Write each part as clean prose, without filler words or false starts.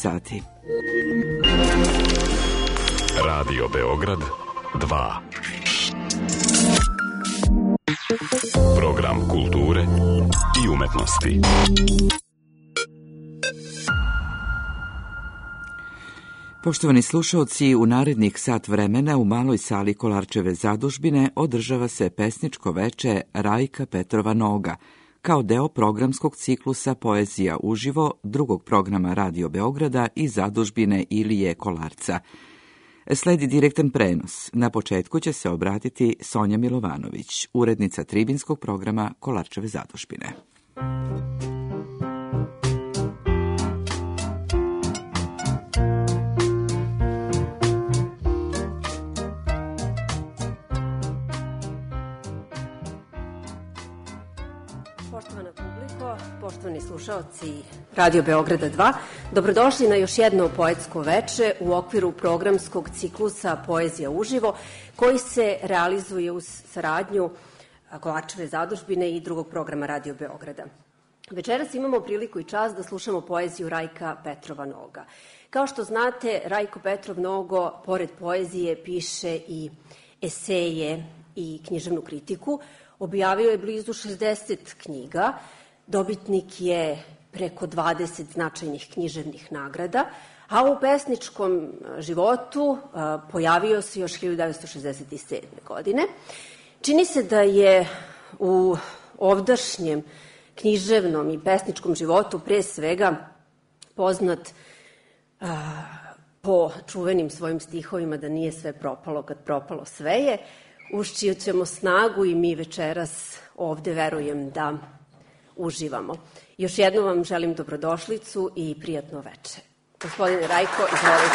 sati. Radio Beograd 2. Program kulture i umetnosti. Poštovani slušaoci, u narednih sat vremena u maloj sali Kolarčeve zadužbine održava se pesničko veče Rajka Petrova Noga, kao deo programskog ciklusa Poezija uživo drugog programa Radio Beograda i zadužbine Ilije Kolarca. Sledi direktan prenos. Na početku će se obratiti Sonja Milovanović, urednica tribinskog programa Kolarčeve zadužbine. Poštovana publiko, poštovani slušaoci Radio Beograda 2, dobrodošli na još jedno poetsko veče u okviru programskog ciklusa Poezija uživo, koji se realizuje uz saradnju Kolarčeve zadužbine i drugog programa Radio Beograda. Večeras imamo priliku i čast da slušamo poeziju Rajka Petrova Noga. Kao što znate, Rajko Petrov Nogo, pored poezije, piše i eseje i književnu kritiku. Objavio je blizu 60 knjiga, dobitnik je preko 20 značajnih književnih nagrada, a u pesničkom životu pojavio se još 1967. godine. Čini se da je u ovdašnjem književnom i pesničkom životu pre svega poznat po čuvenim svojim stihovima da nije sve propalo kad propalo sve je, uz čiju ćemo snagu i mi večeras ovde verujem da uživamo. Još jednom vam želim dobrodošlicu i prijatno veče. Gospodine Rajko, izvolite.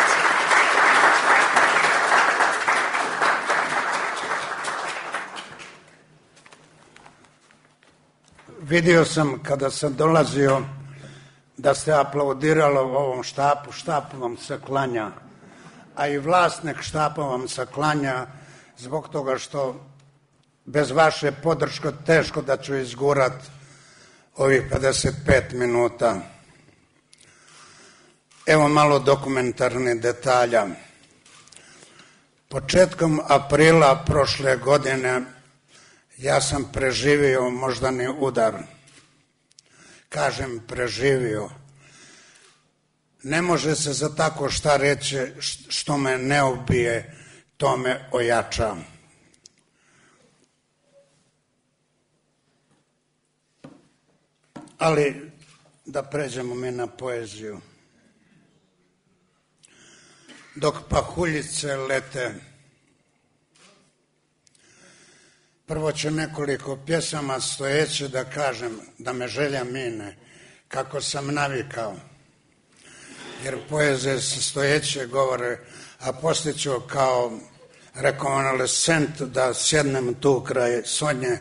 Vidio sam kada sam dolazio da se aplaudiralo ovom štapu, štap vam se klanja, a i vlasnik štapa vam se klanja, zbog toga što bez vaše podrške teško da ću izgurat ovih 55 minuta. Evo malo dokumentarnih detalja. Početkom aprila prošle godine ja sam preživio moždani udar. Kažem preživio. Ne može se za tako šta reći što me ne ubije, to me ojača. Ali da pređemo mi na poeziju. Dok pahuljice lete, prvo ću nekoliko pjesama stojeće da kažem, da me želja mine, kako sam navikao. Jer poezije se stojeće govore, a poslije ću kao rekonvalescent da sjednem tu kraj Sonje,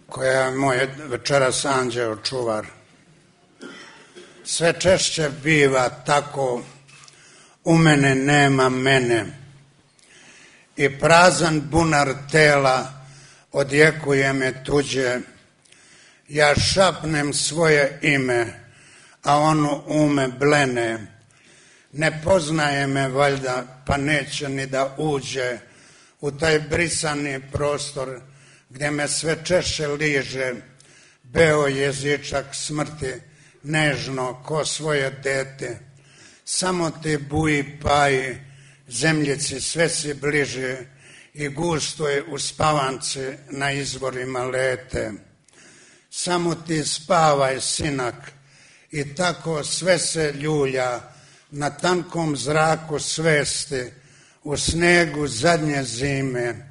koja je moj večeras anđeo čuvar. Sve češće biva tako, u mene nema mene, i prazan bunar tela odjekuje me tuđe. Ja šapnem svoje ime, a ono ume blene. Ne poznaje me valjda, pa neće ni da uđe u taj brisani prostor gdje me sve češće liže beo jezičak smrti, nežno ko svoje dete. Samo ti buji paji, zemljici sve si bliže i gusto je u spavanci na izvorima lete. Samo ti spavaj, sinak, i tako sve se ljulja na tankom zraku svesti, u snegu zadnje zime,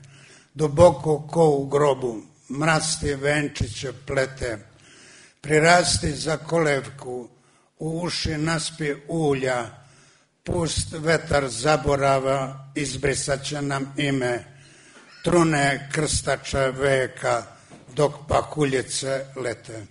duboko ko u grobu, mrasti venčiće plete. Prirasti za kolevku, u uši naspi ulja, pust vetar zaborava, izbrisat će nam ime, trune krstača veka, dok pahuljice lete.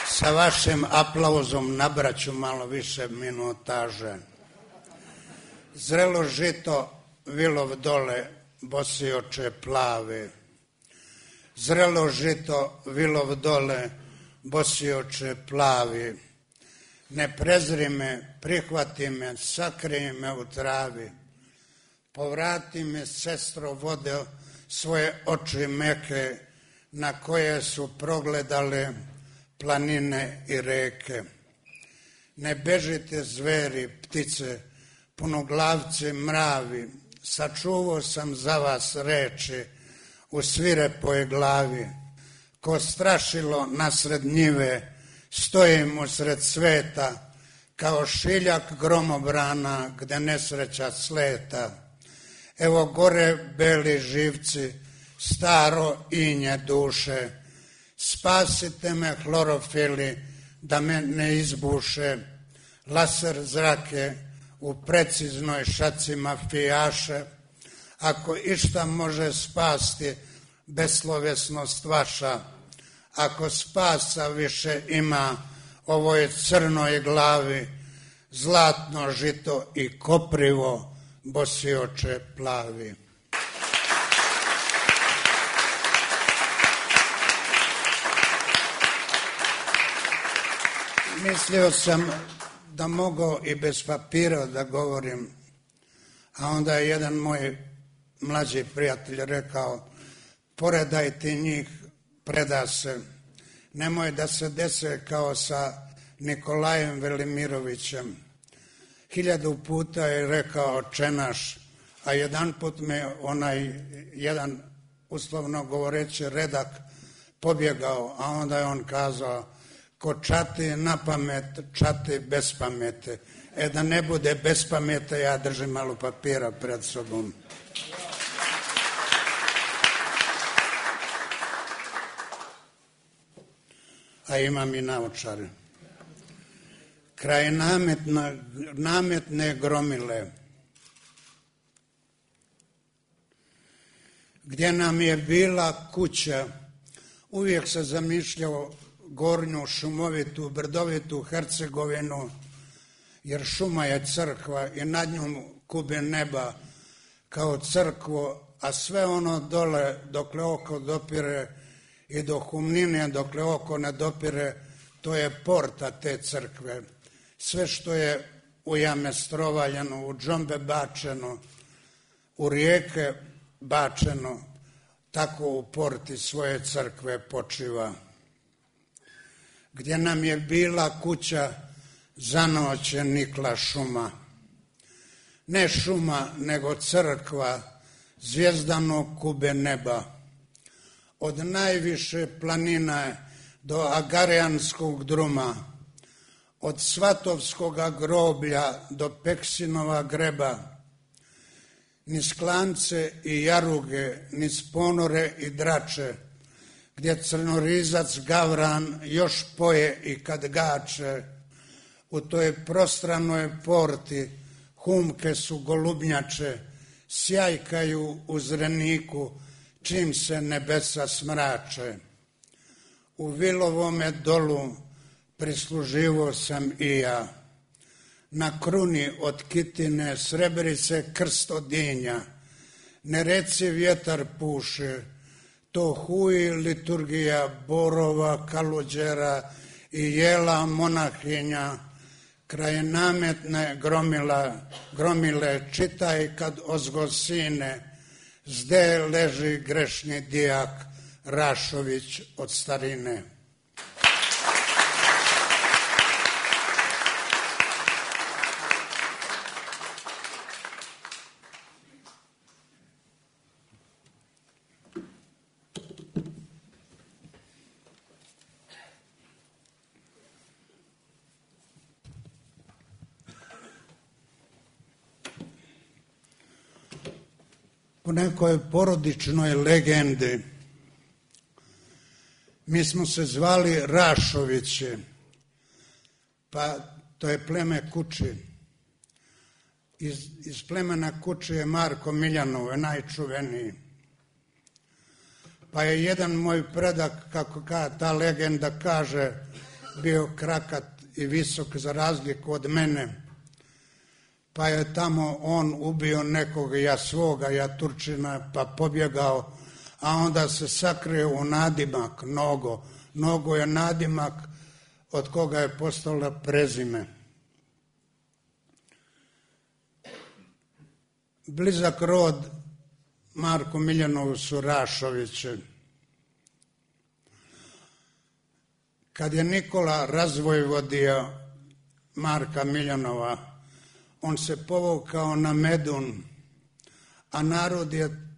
Sa vašim aplauzom nabraću malo više minutaže. Zrelo žito, vilov dole, bosi oče plave. zrelo žito vilov dole, bosi oče plavi. Ne prezri me, prihvati me, sakrij me u travi. Povrati me, sestro, vode svoje oči meke, na koje su progledale planine i reke. Ne bežite zveri, ptice, punoglavci, mravi, sačuvao sam za vas reči u svirepoj glavi. Ko strašilo nasred njive, stojim usred sveta, kao šiljak gromobrana gde nesreća sleta. Evo gore beli živci, staro inje duše, spasite me hlorofili da me ne izbuše, laser zrake u preciznoj šaci mafijaše. Ako išta može spasti beslovesnost vaša, ako spasa više ima ovoj crnoj glavi, zlatno žito i koprivo, bosi oče plavi. Mislio sam da mogu i bez papira da govorim, a onda je jedan moj mlađi prijatelj rekao, poredaj ti njih, preda se, nemoj da se dese kao sa Nikolajem Velimirovićem. 1000 puta je rekao Oče naš, a jedan put me onaj jedan, uslovno govoreći, redak pobjegao, a onda je on kazao, ko čati na pamet, čati bez pamete. Da ne bude bez pamete, ja držim malo papira pred sobom. A imam i naočare. Kraj nametne gromile, gdje nam je bila kuća, uvijek se zamišljao gornju, šumovitu, brdovitu Hercegovinu, jer šuma je crkva i nad njom kube neba kao crkvo, a sve ono dole dokle oko dopire i do Humnine dokle oko ne dopire, to je porta te crkve. Sve što je u jame strovaljeno, u džombe bačeno, u rijeke bačeno, tako u porti svoje crkve počiva. Gdje nam je bila kuća, za noć je nikla šuma. Ne šuma, nego crkva, zvjezdano kube neba. Od najviše planina do Agarijanskog druma, od Svatovskoga groblja do Peksinova greba, niz Klance i Jaruge, niz Ponore i Drače, gdje crnorizac Gavran još poje i kad gače, u toj prostranoj porti humke su golubnjače, sjajkaju u zreniku, čim se nebesa smrače. U Vilovome dolu prisluživo sam i ja, na kruni od Kitine srebrice krst odinja, ne reci vjetar puše, to huji liturgija borova, kaluđera i jela monahinja, kraj nametne gromile čitaj kad ozgo sine, zde leži grešni dijak Rašović od starine. Po nekoj porodičnoj legendi mi smo se zvali Rašovići, pa to je pleme Kuči. Iz plemena Kuči je Marko Miljanov, najčuveniji. Pa je jedan moj predak, kako ta legenda kaže, bio krakat i visok za razliku od mene. Pa je tamo on ubio nekog, ja svoga, ja Turčina, pa pobjegao, a onda se sakrije u nadimak Nogo. Nogo je nadimak od koga je postala prezime. Blizak rod Marku Miljanovu su Rašoviće. Kad je Nikola razvojvodio Marka Miljanova, on se povukao na Medun, a narod je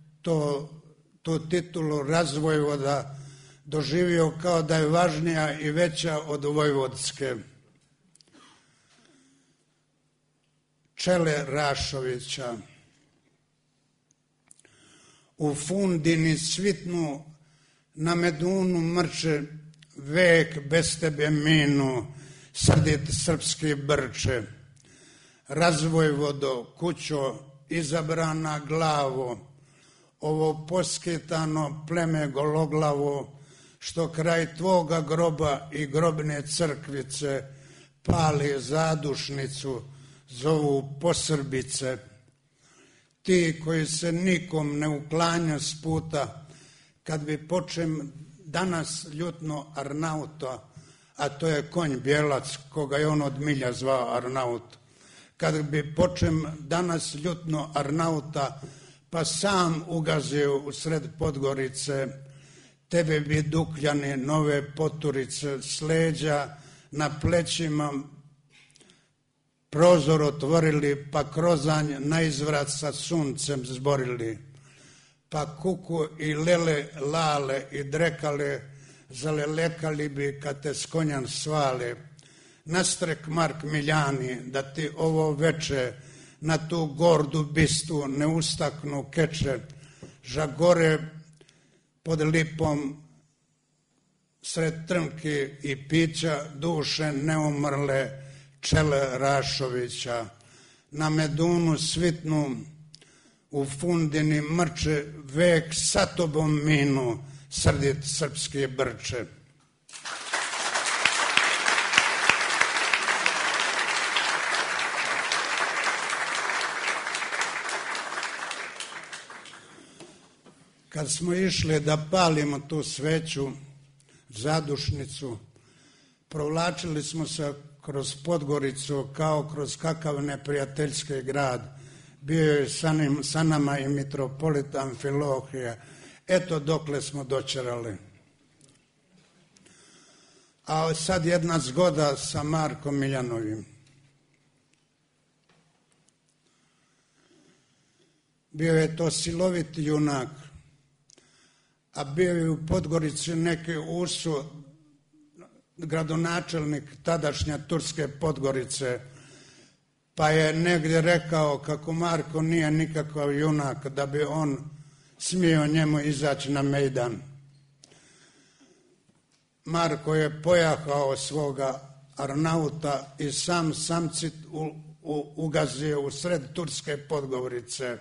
tu titulu razvojvoda doživio kao da je važnija i veća od vojvodske. Čele Rašovića u Fundini svitnu, na Medunu mrče, vek bez tebe minu, srdit srpski brče. Razvojvodo, kućo, izabrana glavo, ovo poskitano pleme gologlavo, što kraj tvoga groba i grobne crkvice pali zadušnicu, zovu posrbice. Ti koji se nikom ne uklanja s puta, kad bi počem danas ljutno Arnauta, a to je konj bijelac, koga je on od milja zvao Arnaut, kad bi počem danas ljutno Arnauta, pa sam ugazio u sred Podgorice, tebe bi Dukljani nove poturice s leđa na plećima prozor otvorili, pa krozanj na izvrat sa suncem zborili, pa kuku i lele, lale i drekale, zalelekali bi kad te s konjan svale. Nastrek Mark Miljani, da ti ovo veče na tu gordu bistu ne ustaknu keče, žagore pod lipom sred trnki i pića duše neumrle čele Rašovića. Na Medunu svitnu u Fundini mrče, vek sa tobom minu, srdit srpski brče. Kad smo išli da palimo tu sveću, zadušnicu, provlačili smo se kroz Podgoricu kao kroz kakav neprijateljski grad. Bio je sa nama i mitropolit Amfilohije. Eto dokle smo dočerali. A sad jedna zgoda sa Markom Miljanovim. Bio je to silovit junak, a bio je u Podgorici neki Usu, gradonačelnik tadašnje Turske Podgorice, pa je negdje rekao kako Marko nije nikakav junak da bi on smio njemu izaći na mejdan. Marko je pojahao svoga Arnauta i sam samcit ugazio u sred Turske Podgorice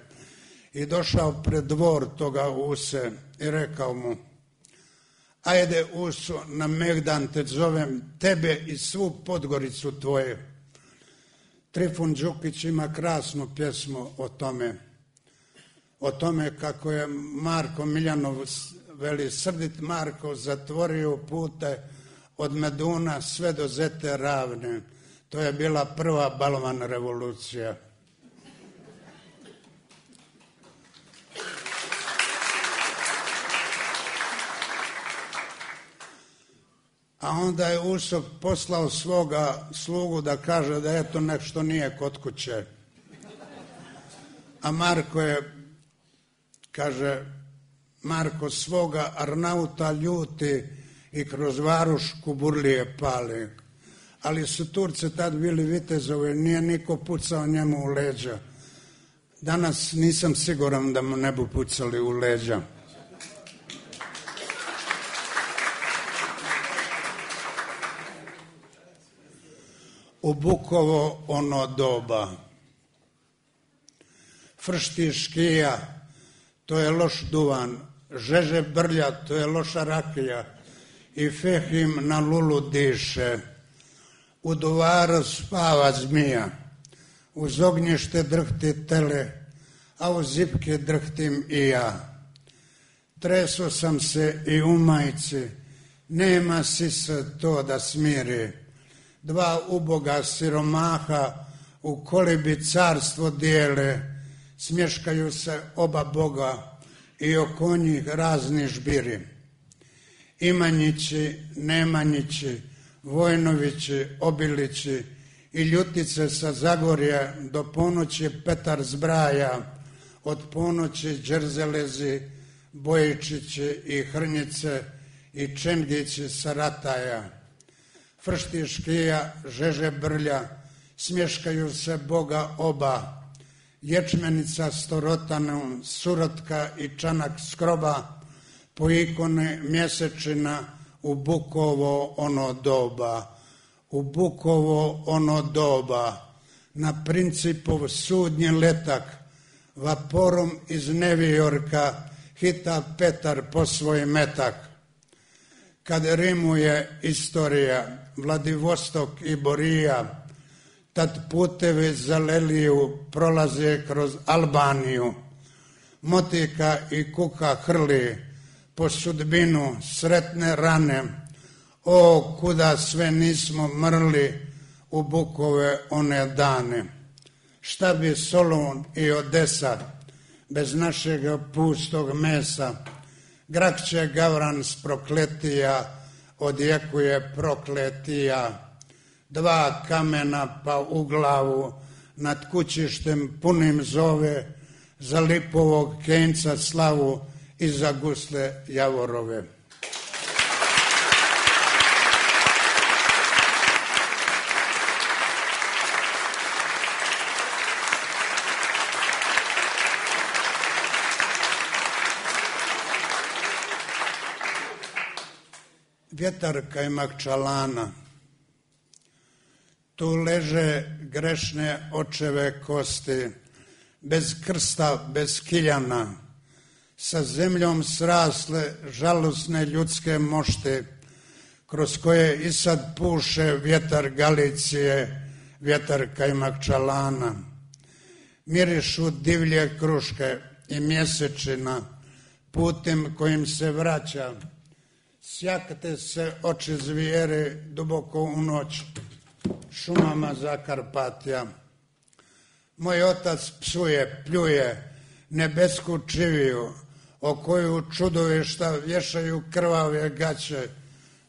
i došao pred dvor toga Use i rekao mu: ajde Uso, na megdan te zovem, tebe i svu Podgoricu tvoje. Trifun Đukić ima krasnu pjesmu o tome kako je Marko Miljanov, veli, srdit Marko zatvorio pute od Meduna sve do Zete ravne. To je bila prva balvan revolucija. A onda je Usop poslao svoga slugu da kaže da eto nešto nije kod kuće. A Marko je, kaže, Marko svoga Arnauta ljuti i kroz Varuš kuburlije pali. Ali su Turci tad bili vitezovi, nije niko pucao njemu u leđa. Danas nisam siguran da mu ne bi pucali u leđa. U Bukovo ono doba. Fršti škija, to je loš duvan, žeže brlja, to je loša rakija, i Fehim na lulu diše. U duvaru spava zmija, uz ognjište drhti tele, a u zipke drhtim i ja. Treso sam se i u majici, nema sisa to da smiri. Dva uboga siromaha u kolibi carstvo dijele, smješkaju se oba boga i oko njih razni žbiri. Imanjići, Nemanjići, Vojnovići, Obilići i Ljutice sa Zagorja do ponoći Petar zbraja, od ponoći Đerzelezi, Bojičići i Hrnjice i Čengići sa Rataja. Fršti Škija, Žeže Brlja, smješkaju se boga oba, Ječmenica s Torotanom, Surotka i Čanak skroba, po ikone mjesečina u Bukovo ono doba. U Bukovo ono doba, na Principov sudnji letak, vaporom iz Nevijorka hita Petar po svoj metak. Kad rimuje istorija, Vladivostok i Borija, tad putevi za Leliju prolaze kroz Albaniju. Motika i kuka hrli po sudbinu sretne rane. O, kuda sve nismo mrli u Bukove one dane. Šta bi Solun i Odesa bez našega pustog mesa? Grakće Gavran s Prokletija odjekuje prokletija. Dva kamena pa u glavu nad kućištem punim zove, za lipovog kenca slavu i za gusle javorove. Vjetar Kajmakčalana, tu leže grešne očeve kosti, bez krsta, bez kiljana, sa zemljom srasle žalosne ljudske mošti, kroz koje i sad puše vjetar Galicije, vjetar Kajmakčalana. Mirišu divlje kruške i mjesečina, putem kojim se vraća, sjakate se oči zvijere duboko u noć, šumama Zakarpatja. Moj otac psuje, pljuje nebesku čiviju, o koju čudovišta vješaju krvave gaće.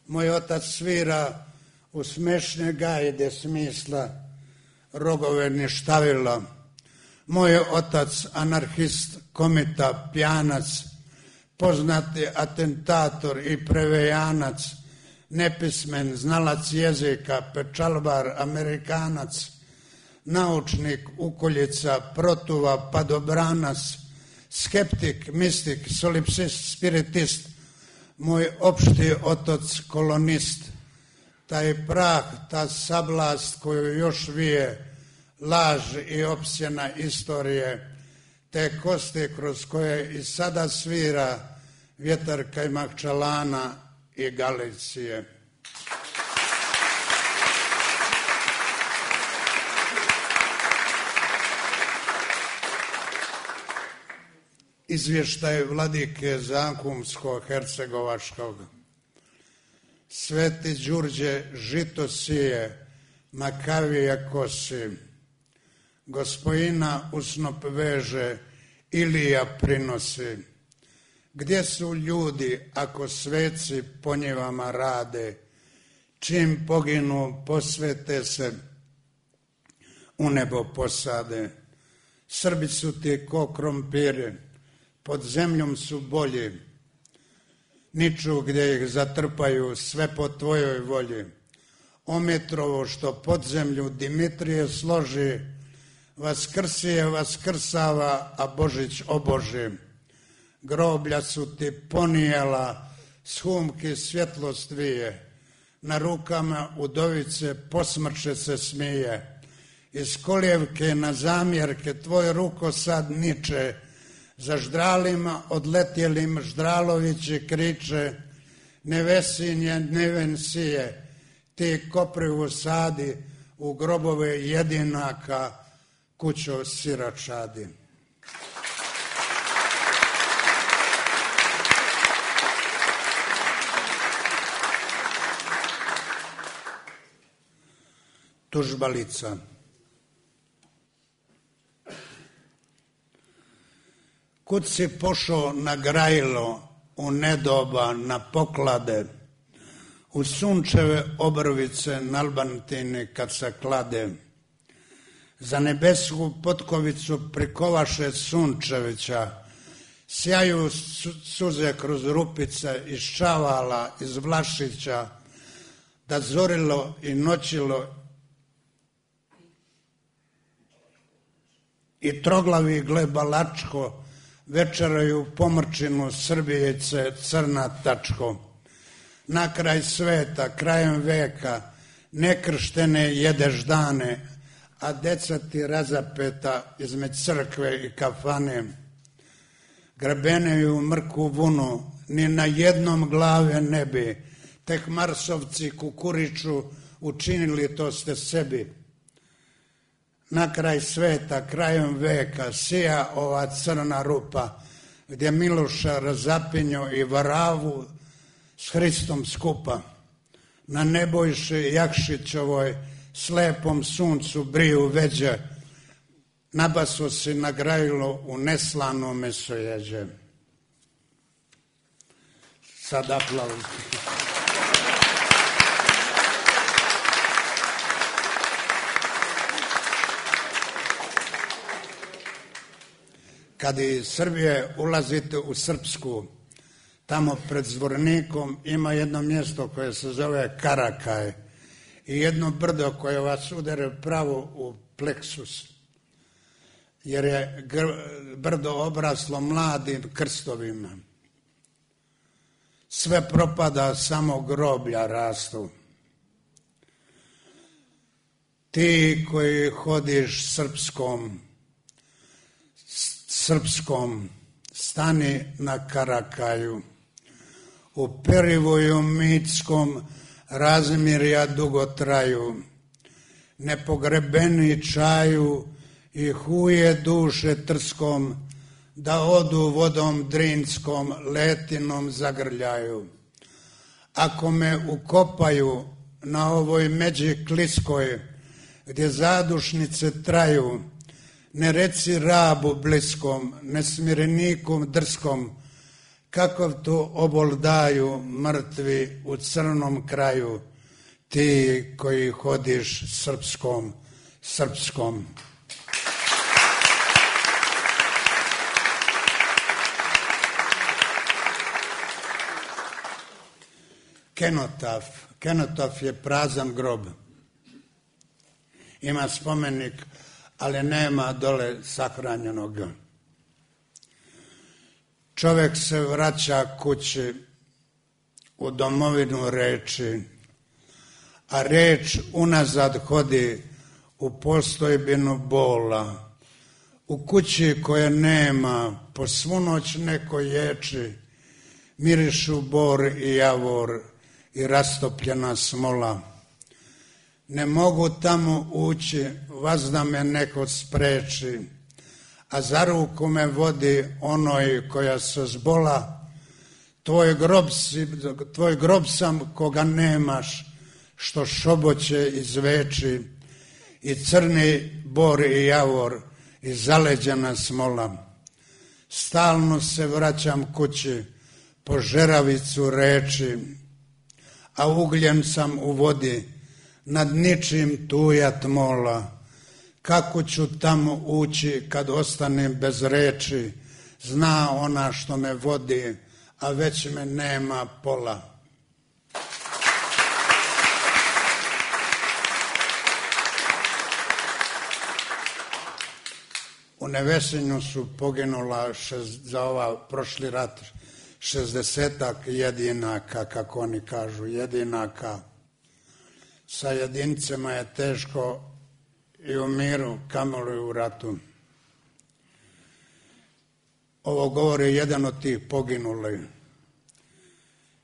Moj otac svira u smešne gajde smisla, rogove ništavila. Moj otac anarhist, komita, pjanac, poznati atentator i prevejanac, nepismen, znalac jezika, pečalbar, Amerikanac, naučnik, ukoljica, protuva, padobranac, skeptik, mistik, solipsist, spiritist, moj opšti otac kolonist, taj prah, ta sablast koju još vije, laž i opsjena istorije, te kosti kroz koje i sada svira vjetar Kajmakčalana i Galicije. Izvještaj vladike Zankumsko-Hercegovačkog. Sveti Đurđe žito sije, makavije kosi, Gospojina u snop veže, Ilija prinosi. Gdje su ljudi ako sveci po njivama rade, čim poginu posvete se, u nebo posade. Srbi su ti ko krompiri, pod zemljom su bolji, niču gdje ih zatrpaju, sve po tvojoj volji. Ometrovo što pod zemlju Dimitrije složi, Vaskrsije vaskrsava, a Božić oboži. Groblja su ti ponijela, s humki svjetlost vije, na rukama udovice posmrče se smije. Iz kolijevke na zamjerke tvoj ruko sad niče, za ždralima odletjelim Ždralovići kriče, nevesinje neven sije, ti koprivu sadi u grobove jedinaka, kućo siračadi. tužbalica. Kud si pošao na grajilo, u nedoba, na poklade, u sunčeve obrvice na Albantini kad se klade, za nebesku potkovicu prikovaše Sunčevića, sjaju suze kroz rupice iz Čavala, iz Vlašića, da zorilo i noćilo i troglavi glebalačko večeraju pomrčinu Srbijice crna tačko. Na kraj sveta, krajem veka, nekrštene jedeš dane, a deca ti razapeta između crkve i kafane. Grebeneju mrku vunu, ni na jednom glave ne bi, tek Marsovci kukuriču, učinili to ste sebi. Na kraj sveta, krajem veka, sija ova crna rupa, gdje Miloša razapinjo i Varavu s Hristom skupa. Na Nebojši Jakšićovoj slepom suncu briju veđe, nabaso si na grajilo u neslano mesojeđe. Sad aplauz. Kad iz Srbije ulazite u Srpsku, tamo pred Zvornikom ima jedno mjesto koje se zove Karakaj i jedno brdo koje vas udere pravo u pleksus, jer je brdo obraslo mladim krstovima. Sve propada, samo groblja rastu. Ti koji hodiš srpskom, stani na Karakaju, u Perivoju mitskom razmirja dugo traju, nepogrebeni čaju i huje duše trskom, da odu vodom drinskom, letinom zagrljaju. Ako me ukopaju na ovoj međi kliskoj, gdje zadušnice traju, ne reci rabu bliskom, nesmirenikom drskom, kakav to obol daju mrtvi u crnom kraju, ti koji hodiš srpskom. Kenotaf je prazan grob. Ima spomenik, ali nema dole sahranjenog. Čovjek se vraća kući u domovinu reči, a reč unazad hodi u postojbinu bola. U kući koje nema, po svu noć neko ječi, mirišu bor i javor i rastopljena smola. Ne mogu tamo ući, vazda me neko spreči, a za ruku me vodi onoj koja se zbola. Tvoj grob sam koga nemaš, što šoboće izveči, i crni bor i javor i zaleđena smola. Stalno se vraćam kući po žeravicu reči, a ugljen sam u vodi, nad ničim tujat mola. Kako ću tamo ući kad ostanem bez reči, zna ona što me vodi, a već me nema pola. U Nevesinju su poginula za prošli rat 60-ak jedinaka, kako oni kažu, jedinaka. Sa jedincima je teško i u miru, kamoli u ratu. Ovo govori jedan od tih poginulih.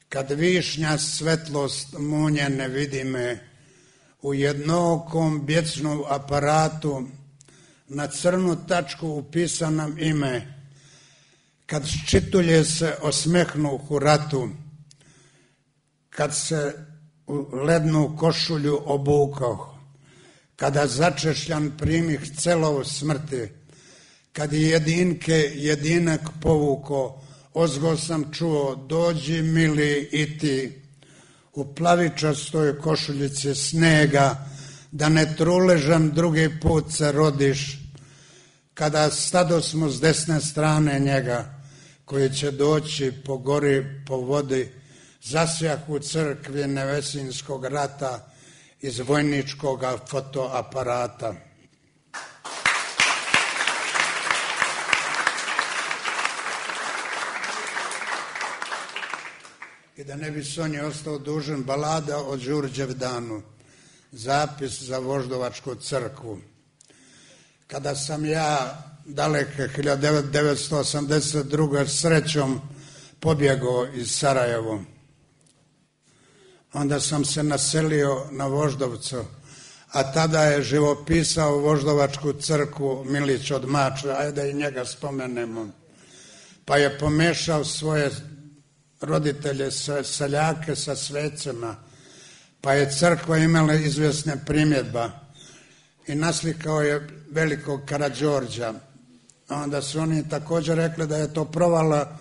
Kad višnja svetlost munje ne vidi me, u jednokom bjecnom aparatu na crnu tačku upisanom ime, kad ščitulje se osmehnu u ratu, kad se u lednu košulju obukao, kada začešljan primih celov smrti, kad jedinke jedinak povuko, ozgo sam čuo, dođi mili i ti, u plavičastoj košuljici snega, da ne truležan drugi put se rodiš, kada stado smo s desne strane njega, koji će doći po gori, po vodi, zasjah u crkvi Nevesinskog rata iz vojničkog fotoaparata. I da ne bi Sonji ostao dužan, balada o Đurđevdanu, zapis za Voždovačku crkvu. Kada sam ja daleke 1982. srećom pobjegao iz Sarajevo, onda sam se naselio na Voždovcu, a tada je živopisao Voždovačku crkvu Milić od Mačve, ajde i njega spomenemo, pa je pomešao svoje roditelje, seljake sa svecima, pa je crkva imala izvjesne primjedba i naslikao je velikog Karađorđa. Onda su oni također rekli da je to provala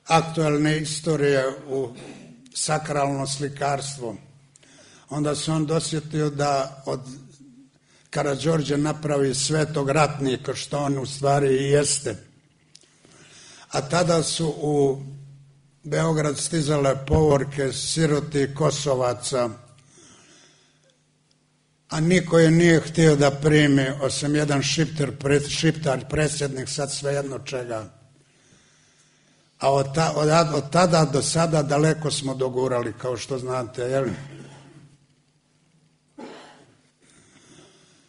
aktualne istorije u sakralno slikarstvo. Onda se on dosjetio da od Karađorđa napravi svetog ratnika, što on u stvari i jeste. A tada su u Beograd stizale povorke siroti Kosovaca, a niko je nije htio da primi, osim jedan šiptar, predsjednik, sad svejedno čega. A od tada do sada daleko smo dogurali, kao što znate, jel?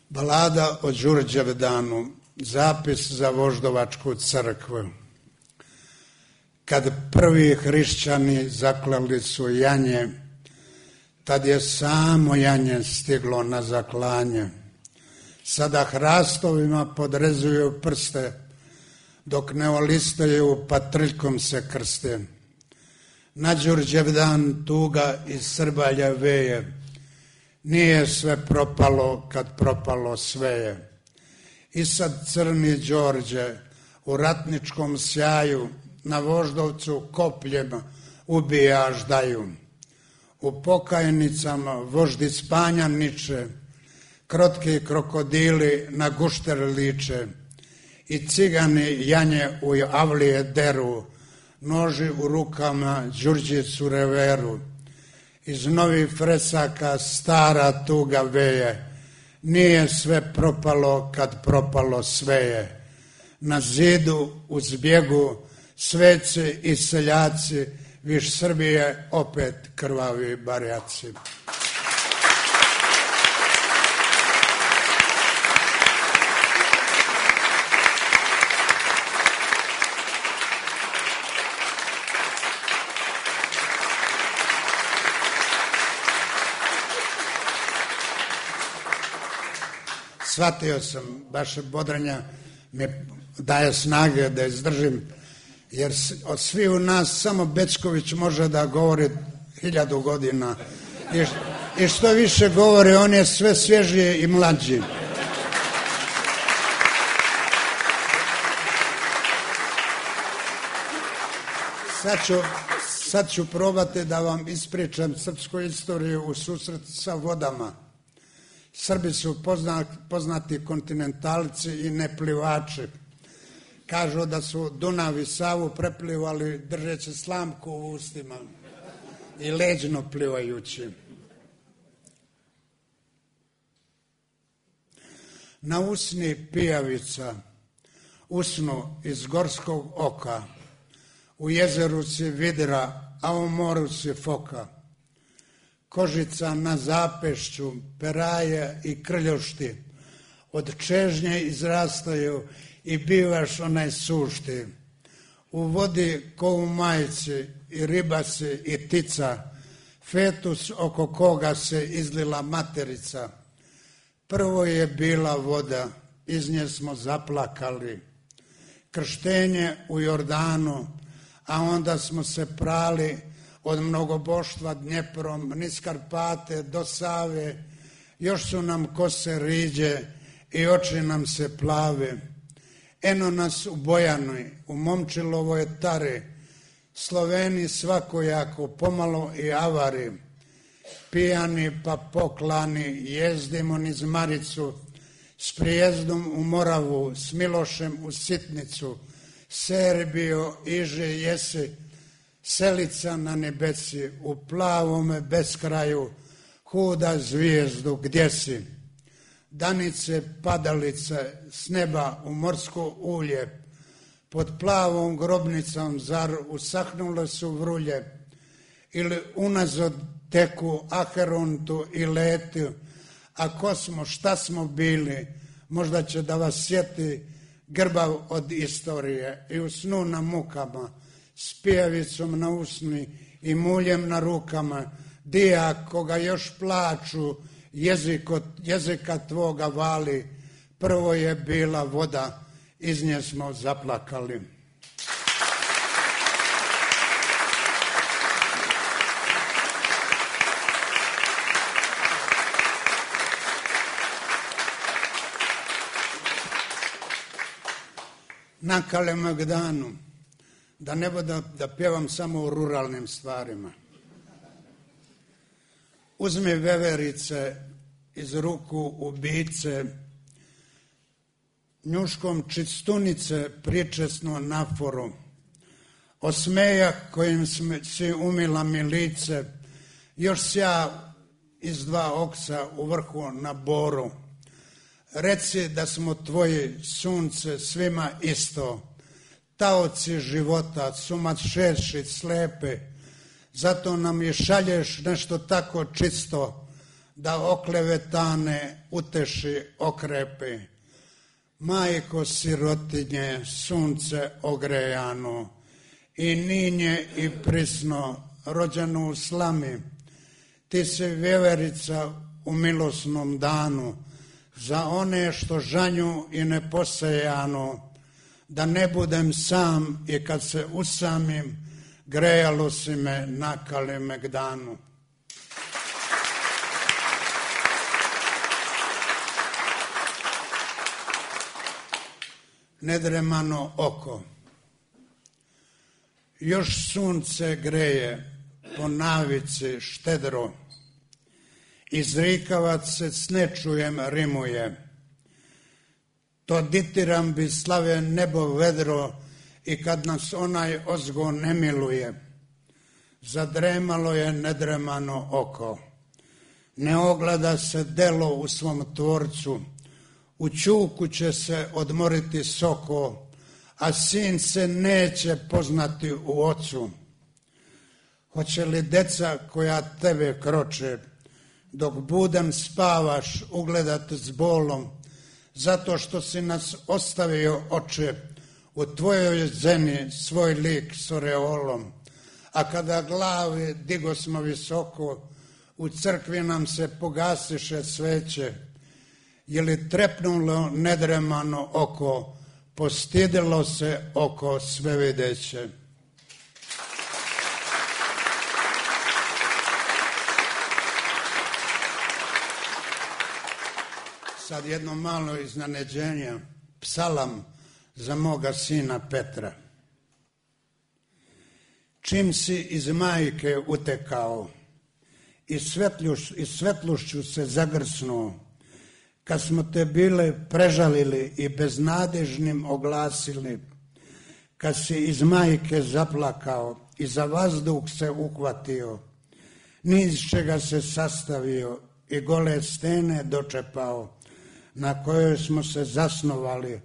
Balada o Đurđevdanu, zapis za Voždovačku crkvu. Kad prvi hrišćani zaklali su janje, tad je samo janje stiglo na zaklanje. Sada hrastovima podrezuju prste, dok ne olistaju patriljkom se krste. Na Đurđevdan tuga iz Srbalja veje, nije sve propalo kad propalo sve je. I sad crni Đorđe u ratničkom sjaju na Voždovcu kopljem ubijaš daju. U pokajnicama voždi spanja niče, krotki krokodili na gušter liče i cigani janje u avlije deru, noži u rukama Đurđicu reveru. Iz novih fresaka stara tuga veje, nije sve propalo kad propalo sve je. Na zidu u zbjegu sveci i seljaci, viš Srbije opet krvavi barjaci. Shvatio sam, vaše bodranja mi daje snage da izdržim, jer od svih u nas samo Bečković može da govori 1000 godina. I što više govori, on je sve svježiji i mlađi. Sad ću probati da vam ispričam srpsku istoriju u susret sa vodama. Srbi su poznati kontinentalci i neplivači. Kažu da su Dunav i Savu preplivali držeći slamku u ustima i leđno plivajući. Na usni pijavica, usnu iz gorskog oka, u jezeru si vidra, a u moru si foka. Kožica na zapešću, peraje i krljošti, od čežnje izrastaju i bivaš onaj sušti. U vodi ko u majici i riba si i tica, fetus oko koga se izlila materica. Prvo je bila voda, iz nje smo zaplakali. Krštenje u Jordanu, a onda smo se prali od mnogoboštva Dnjeprom, niz Karpate do Save, još su nam kose riđe i oči nam se plave. Eno nas u Bojanoj, u Momčilovoj tari, Sloveni svakojako, pomalo i avari. Pijani pa poklani, jezdimo niz Maricu, s prijezdom u Moravu, s Milošem u Sitnicu, Serbio, iže jesi, selica na nebesi, u plavome beskraju, huda zvijezdu, gdje si? Danice, padalice, s neba u morsko ulje, pod plavom grobnicom, zar usahnule su vrulje, ili unazad teku Aherontu i letu, a ko smo, šta smo bili, možda će da vas sjeti grbav od istorije i u snu na mukama, s pijavicom na usni i muljem na rukama, dija koga još plaču, jezika tvoga vali, prvo je bila voda, iz nje smo zaplakali. Na Kalemegdanu, da ne bude da pjevam samo o ruralnim stvarima. Uzmi veverice iz ruku ubice, njuškom čistunice pričesno naforu, osmejak kojim si umila mi lice, još sja iz dva oksa u vrhu na boru. Reci da smo tvoji, sunce, svima isto, taoci života, sumašeši, slepe, zato nam i šalješ nešto tako čisto, da oklevetane uteši, okrepi. Majko sirotinje, sunce ogrejano, i ninje i prisno, rođeno u slami, ti si vjeverica u milosnom danu, za one što žanju i neposejano, da ne budem sam i kad se usamim, grejalo si me na Kalemegdanu. Nedremano oko, još sunce greje po navici štedro, izrikavac se s nečujem rimuje, to ditiram bi slave nebo vedro i kad nas onaj ozgo ne miluje, zadremalo je nedremano oko, ne ogleda se delo u svom tvorcu, u ćuku će se odmoriti soko, a sin se neće poznati u ocu. Hoće li deca koja tebe kroče, dok budem spavaš, ugledat s bolom, zato što si nas ostavio, oče, u tvojoj zemi svoj lik s oreolom, a kada glavi digo smo visoko, u crkvi nam se pogasiše sveće, je li trepnulo nedremano oko, postidilo se oko svevideće. Sad jedno malo iznenađenje, psalam za moga sina Petra. Čim si iz majke utekao i svetlušću se zagrsnuo, kad smo te bile prežalili i beznadežnim oglasili, kad si iz majke zaplakao i za vazduh se uhvatio, niz čega se sastavio i gole stene dočepao, na kojoj smo se zasnovali,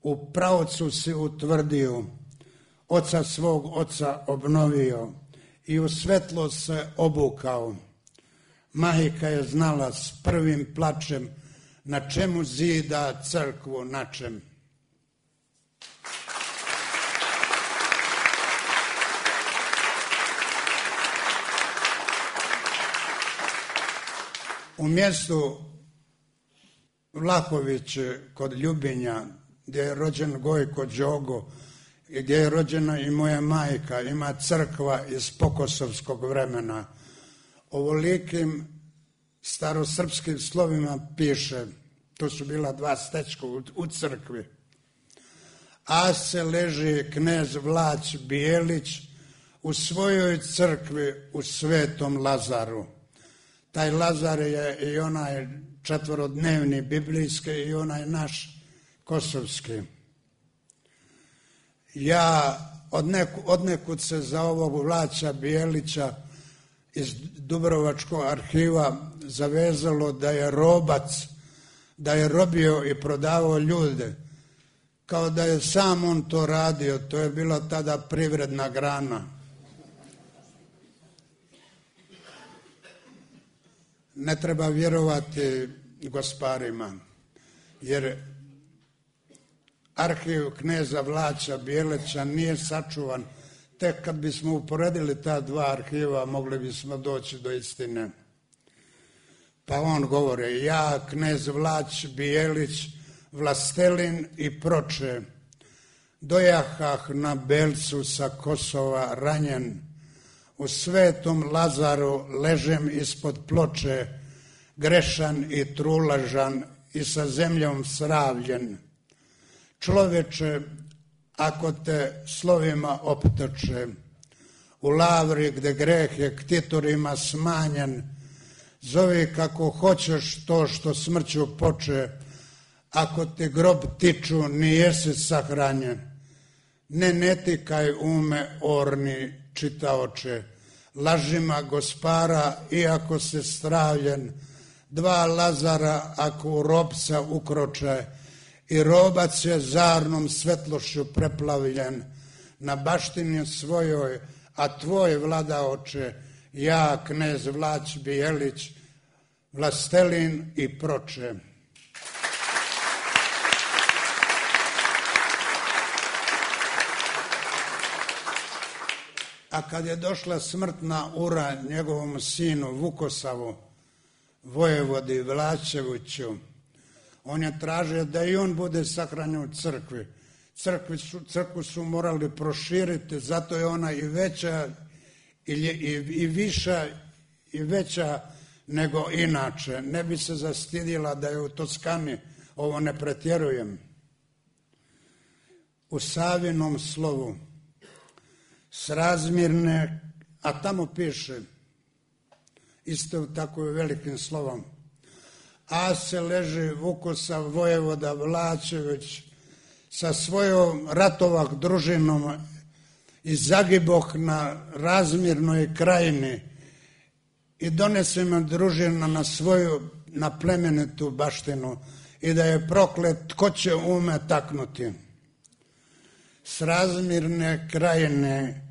u pravcu si utvrdio, oca svog oca obnovio i u svetlo se obukao. Majka je znala s prvim plačem na čemu zida crkvu načem. U mjestu Vlahović kod Ljubinja, gdje je rođen Gojko Đogo i gdje je rođena i moja majka, ima crkva iz pokosovskog vremena. Ovolikim starosrpskim slovima piše, to su bila dva stečka u crkvi. A se leži knez Vlać Bijelić u svojoj crkvi u Svetom Lazaru. Taj Lazar je i onaj četvorodnevni biblijski i onaj naš kosovski. Ja odnekud se za ovog Vlaća Bijelića iz Dubrovačkog arhiva zavezalo da je robac, da je robio i prodavao ljude, kao da je sam on to radio, to je bila tada privredna grana. Ne treba vjerovati gosparima, jer arhiv kneza Vlaća Bijelića nije sačuvan. Tek kad bismo uporedili ta dva arhiva, mogli bismo doći do istine. Pa on govori, ja, knez Vlać Bijelić, vlastelin i proče, dojahah na Belcu sa Kosova ranjen, u Svetom Lazaru ležem ispod ploče, grešan i trulažan i sa zemljom sravljen. Čoveče, ako te slovima optoče, u lavri gde greh je ktitorima smanjen, zovi kako hoćeš to što smrću poče, ako ti grob tiču, nijesi sahranjen. Ne tikaj ume orni čitaoče, lažima gospara, iako se stravljen, dva Lazara ako u robca ukroče, i robac je zarnom svetlošću preplavljen, na baštini svojoj, a tvoj vladaoče, ja, knez Vlać Bijelić, vlastelin i proče. A kad je došla smrtna ura njegovom sinu Vukosavu, vojevodi Vlačeviću, on je tražio da i on bude sahranjen u crkvi. Crkvu su morali proširiti, zato je ona i veća i viša i veća nego inače. Ne bi se zastidila da je u Toskani, ovo ne pretjerujem. U Savinom slovu srazmjerne, a tamo piše, isto tako i velikim slovom, a se leži Vukosav vojevoda Vlačević sa svojom ratovak družinom i zagiboh na razmjernoj krajini i donese me družina na svoju, na plemenitu baštinu i da je proklet, tko će ume taknuti. S razmjerne krajine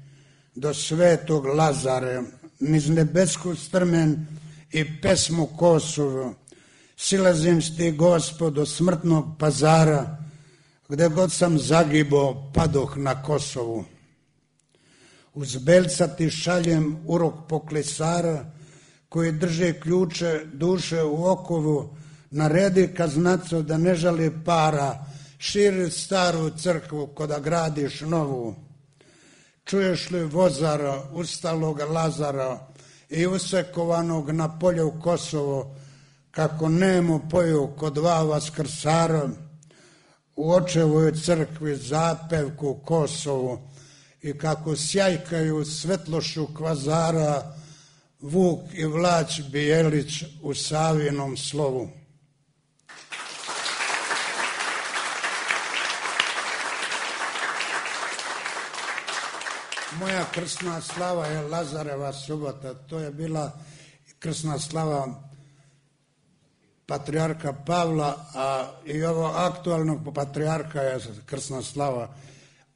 do Svetog Lazare, niz nebesku strmen i pesmu Kosovo, silazim s ti, Gospod, do smrtnog pazara, gde god sam zagibo, padoh na Kosovu. Uz Belca ti šaljem urok poklisara, koji drže ključe duše u okovu, naredi kaznaco da ne žali para, širi staru crkvu ko da gradiš novu. Čuješ li vozara, ustalog Lazara i usekovanog na polju Kosovo, kako nemo poju kod dva vaskrsara, u očevoj crkvi zapevku Kosovu i kako sjajkaju svetlošu kvazara Vuk i Vlać Bijelić u Savinom slovu. Moja krsna slava je Lazareva subota, to je bila krsna slava patrijarha Pavla, a i ovo aktualnog patrijarha je krsna slava,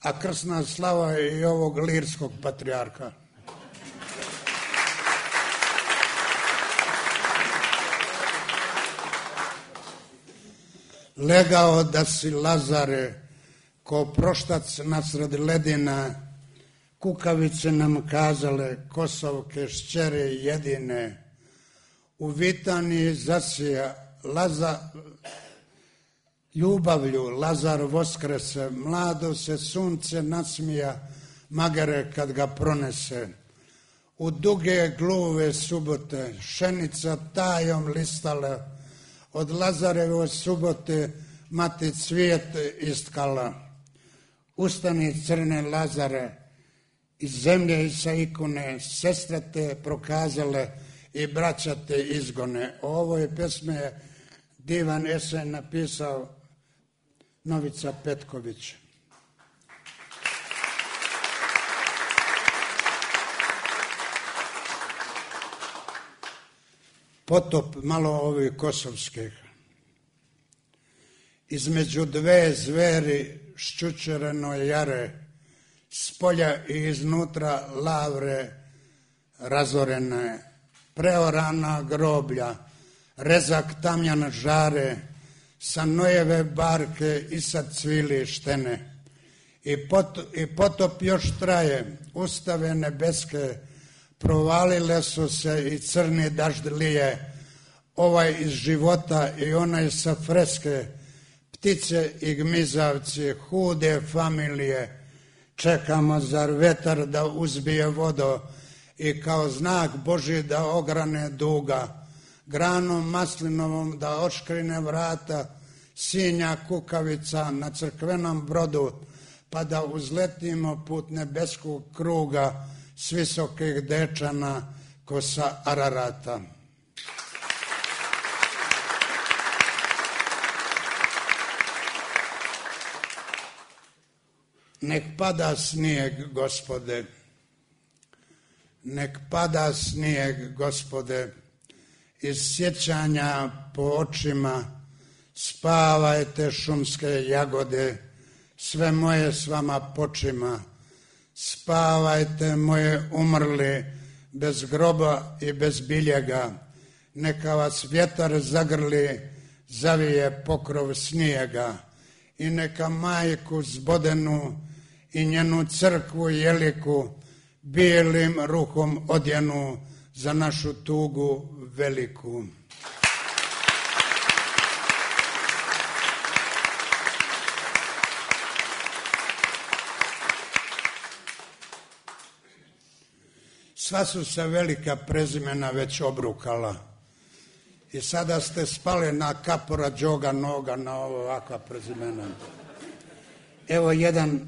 a krsna slava je i ovog lirskog patrijarha. Legao da si, Lazare, ko proštac nasred ledina, kukavice nam kazale, Kosovke šćere jedine, u Vitaniji zasija ljubavlju Lazar voskrese, mlado se sunce nasmija, magare kad ga pronese. u duge gluve subote, šenica tajom listala, od Lazareve subote mati cvijet istkala. Ustani crne Lazare, iz zemlje i sa ikone, sestre te prokazale i braća te izgone. O ovoj pesme je divan esej napisao Novica Petković. Potop malo ovih kosovskih. Između dve zveri ščučereno jare, s polja i iznutra lavre razorene, preorana groblja, rezak tamjan žare, sa Nojeve barke i sa cvili štene. I potop još traje, ustave nebeske, provalile su se i crni dažd lije, ovaj iz života i onaj sa freske, ptice i gmizavci, hude familije, čekamo zar vetar da uzbije vodo i kao znak Božji da ograne duga, granom maslinovom da oškrine vrata, sinja kukavica na crkvenom brodu, pa da uzletimo put nebeskog kruga s visokih dečana ko sa Ararata. Nek pada snijeg, Gospode, nek pada snijeg, Gospode, iz sjećanja po očima, spavajte šumske jagode, sve moje s vama počima, spavajte moje umrli, bez groba i bez biljega, neka vas vjetar zagrli, zavije pokrov snijega i neka majku zbodenu i njenu crkvu jeliku bijelim ruhom odjenu za našu tugu veliku. Sva su se velika prezimena već obrukala i sada ste spali na Kapora, Đoga, Noga, na ovakva prezimena. Evo jedan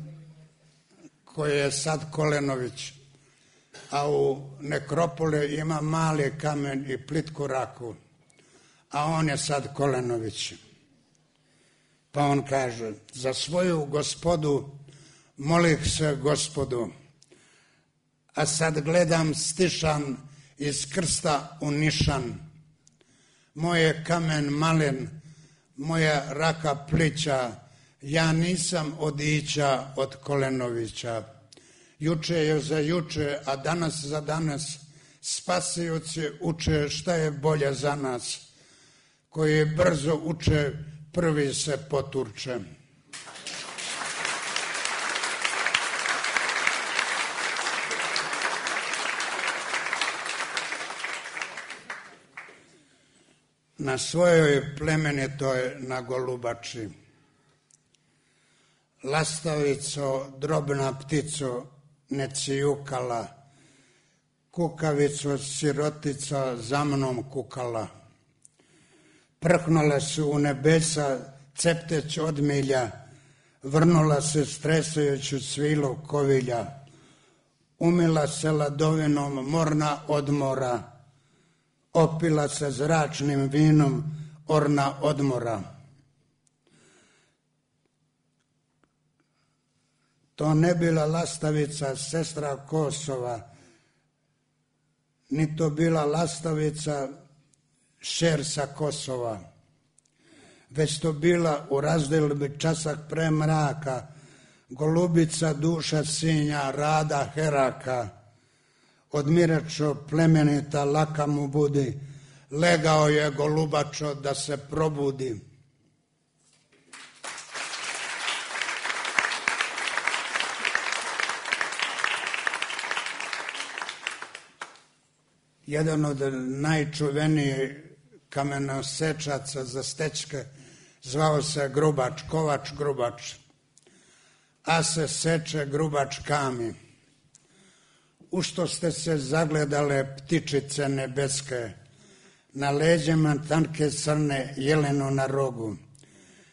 koji je sad Kolenović, a u nekropoli ima mali kamen i plitku raku, a on je sad Kolenović. Pa on kaže, za svoju gospodu molih se Gospodu, a sad gledam stišan iz krsta u nišan. Moje kamen malen, moja raka plića, ja nisam odića od Kolenovića. Juče je za juče, a danas za danas, spasioci uče šta je bolje za nas. Koji brzo uče, prvi se poturče. Na svojoj plemenitoj na Golubači, lastavico, drobna ptico, ne cijukala, kukavico, sirotica, za mnom kukala. Prhnule su u nebesa, cepteć od milja, vrnula se stresajuću svilu kovilja, umila se ladovinom morna odmora, opila se zračnim vinom orna odmora. To ne bila lastavica sestra Kosova, ni to bila lastavica šer sa Kosova, već to bila u razdjelbi časak pre mraka, golubica duša sinja rada heraka, odmiračo plemenita laka mu budi, legao je golubačo da se probudi. Jedan od najčuvenijih kamenosečaca za stečke zvao se Grubač, Kovač Grubač, a se seče Grubač kami. u što ste se zagledale ptičice nebeske, na leđima tanke crne, jeleno na rogu,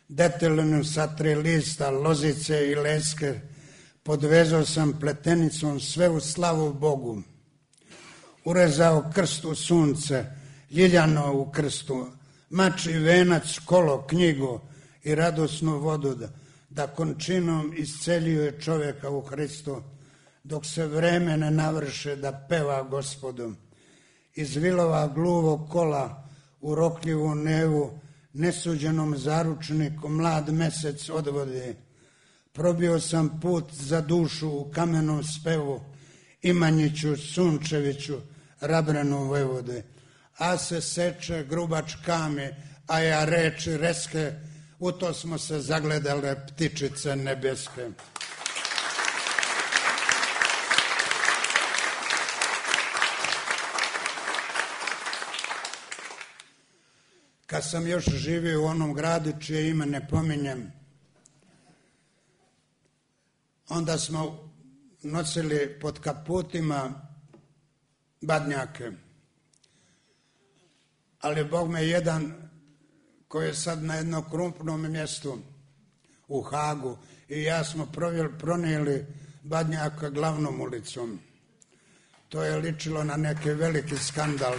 detelinu sa 3 lista, lozice i leske, podvezao sam pletenicom sve u slavu Bogu. Urezao krst u sunce, ljiljano u krstu, mač i venac, kolo, knjigu i radosnu vodu, da končinom isceljuje čovjeka u Hristu, dok se vreme ne navrše da peva Gospodu. Iz vilova gluvog kola u rokljivu nevu, nesuđenom zaručniku mlad mesec odvodi. Probio sam put za dušu u kamenom spevu, Imanjiću, Sunčeviću, Rabrenu Vojvode. A se seče grubač kame, a ja reči reske, u to smo se zagledale ptičice nebeske. Kad sam još živio u onom gradu čije ime ne pominjem, onda smo nosili pod kaputima badnjake. Ali Bog me jedan koji je sad na jednom krupnom mjestu u Hagu i ja smo pronijeli badnjaka glavnom ulicom. To je ličilo na neki veliki skandal.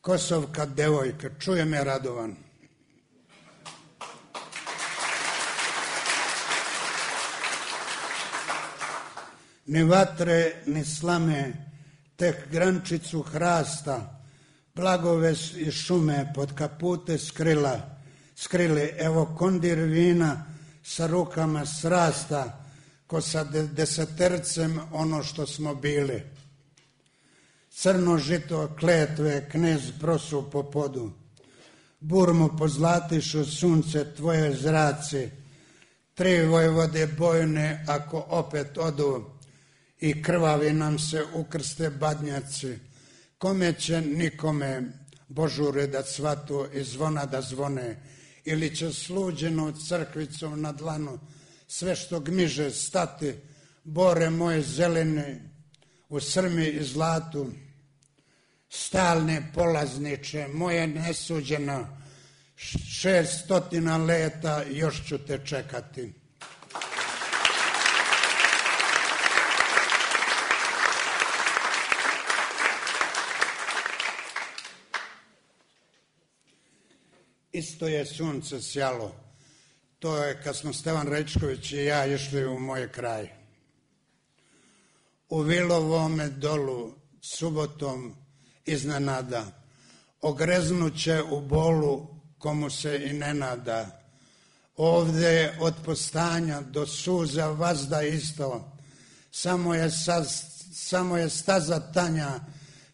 Kosovka devojka, čuje me Radovan. Ni vatre, ni slame, tek grančicu hrasta, blagove i šume pod kapute skrili, evo kondir vina sa rukama srasta, ko sa desetercem ono što smo bili. Crno žito kletve knez prosu po podu, burmu pozlatišu sunce tvoje zraci, 3 vojvode bojne ako opet odu i krvavi nam se ukrste badnjaci, kome će nikome božure da cvatu i zvona da zvone, ili će sluđeno crkvicom na dlanu sve što gmiže stati, bore moje zelene u srmi i zlatu, stalne polazniče, moje nesuđeno, 600 leta još ću te čekati. Isto je sunce sjalo. To je kad smo Stevan Rečković i ja išli u moj kraj. U Vilovome dolu subotom iznenada ogreznuće u bolu komu se i ne nada. Ovdje od postanja do suza vazda isto, samo je staza tanja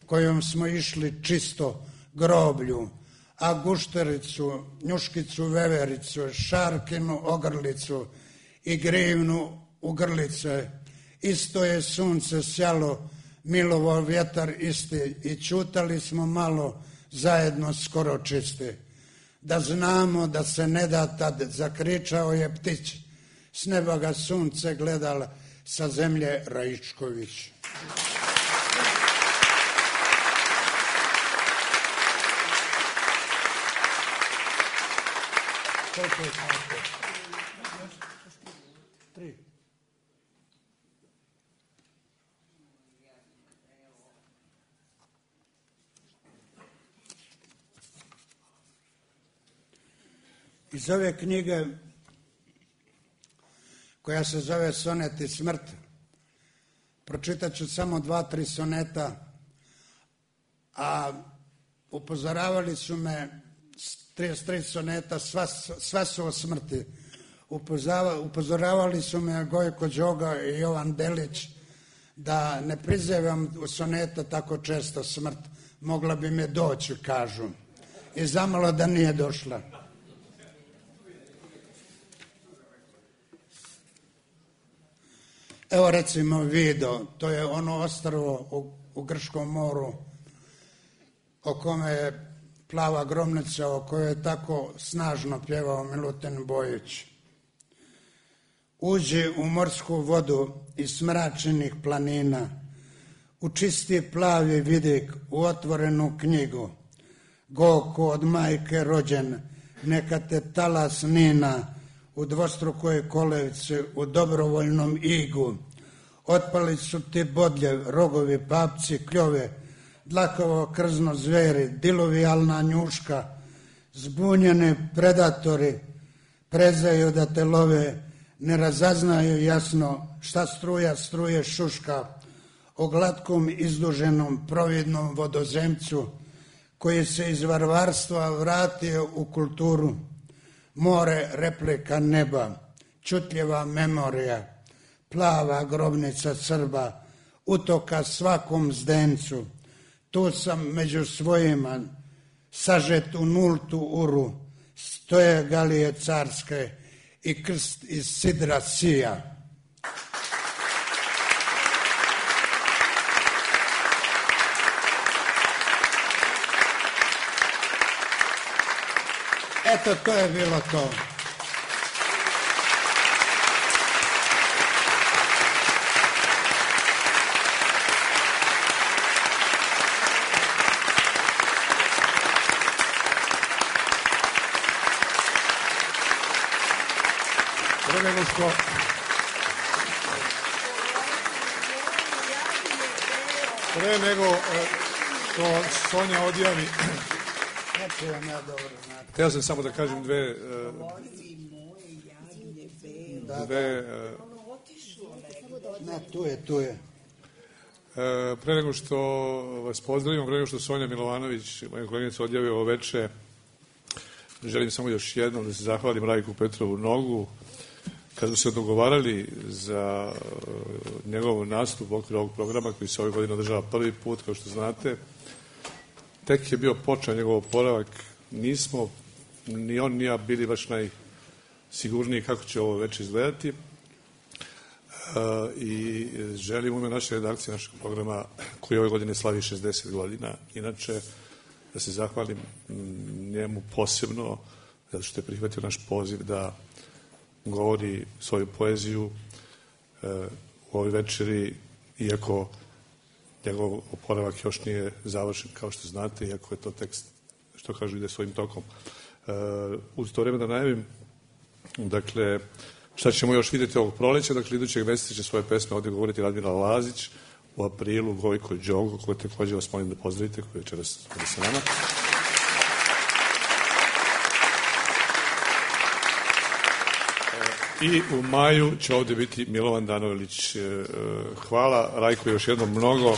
kojom smo išli čisto groblju, a guštericu, njuškicu, vevericu, šarkinu ogrlicu i grivnu u grlice. Isto je sunce sjalo, milovo vjetar isti i čutali smo malo zajedno skoro čisti. Da znamo da se ne da tad, zakričao je ptić, s neba ga sunce gledala sa zemlje Raičković. Koliko je tako? 3. Iz ove knjige, koja se zove Sonet i smrt, pročitat ću samo 2-3 soneta, a upozoravali su me 33 soneta, sva su o smrti. Upozoravali su me Gojko Đoga i Jovan Delić da ne prizivam u soneta tako često smrt, mogla bi me doći, kažu. I zamalo da nije došla. Evo recimo Vido, to je ono ostrvo u Grčkom moru o kome je plava gromnica, o kojoj je tako snažno pjevao Milutin Bojić. uđi u morsku vodu iz smračenih planina, u čisti plavi vidik, u otvorenu knjigu. Go ko od majke rođen, neka te talas nina, u dvostrukoj kolevci, u dobrovoljnom igu. Otpali su ti bodljev, rogovi, papci, kljove, dlakavo krzno zveri, diluvijalna njuška, zbunjeni predatori, prezaju da te love, ne razaznaju jasno šta struja struje šuška, o glatkom izduženom providnom vodozemcu, koji se iz varvarstva vratio u kulturu. More replika neba, čutljiva memorija, plava grobnica Srba, utoka svakom zdencu. Tu sam među svojima, sažet u nultu uru, stoje galije carske i krst iz sidra sija. Eto, to je bilo to. Pre nego što Sonja odjavi, htio sam samo da kažem dve tu je. Pre nego što vas pozdravim, pre nego što Sonja Milovanović, moja koleginica, odjavi ovo veče, želim samo još jednom da se zahvalim Rajku Petrovu Nogu. Kad smo se dogovarali za njegov nastup u okviru ovog programa koji se ove godine održava prvi put, kao što znate, tek je bio počeo njegov oporavak. Nismo ni on ni ja bili baš najsigurniji kako će ovo već izgledati i želim u ime naše redakcije, našeg programa koji ove godine slavi 60 godina, inače da se zahvalim njemu posebno zato što je prihvatio naš poziv da govori svoju poeziju u ovoj večeri, iako njegov oporavak još nije završen, kao što znate, iako je to tekst, što kažu, ide svojim tokom. Uz to vreme da najavim, dakle, šta ćemo još vidjeti ovog proleća, dakle, idućeg meseca će svoje pesme ovdje govoriti Radmila Lazić, u aprilu Gojko Đogo, koje također vas molim da pozdravite, koji je večeras sa nama. I u maju će ovdje biti Milovan Danovilić. Hvala Rajko još jednom mnogo.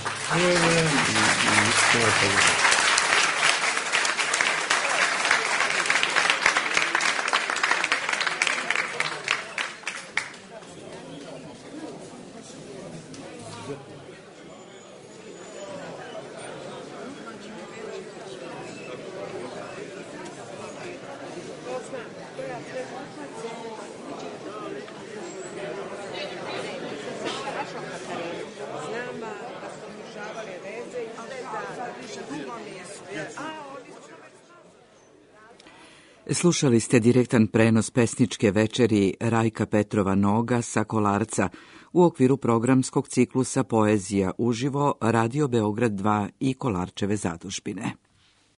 Slušali ste direktan prenos pesničke večeri Rajka Petrova Noga sa Kolarca u okviru programskog ciklusa Poezija uživo Radio Beograd 2 i Kolarčeve zadužbine.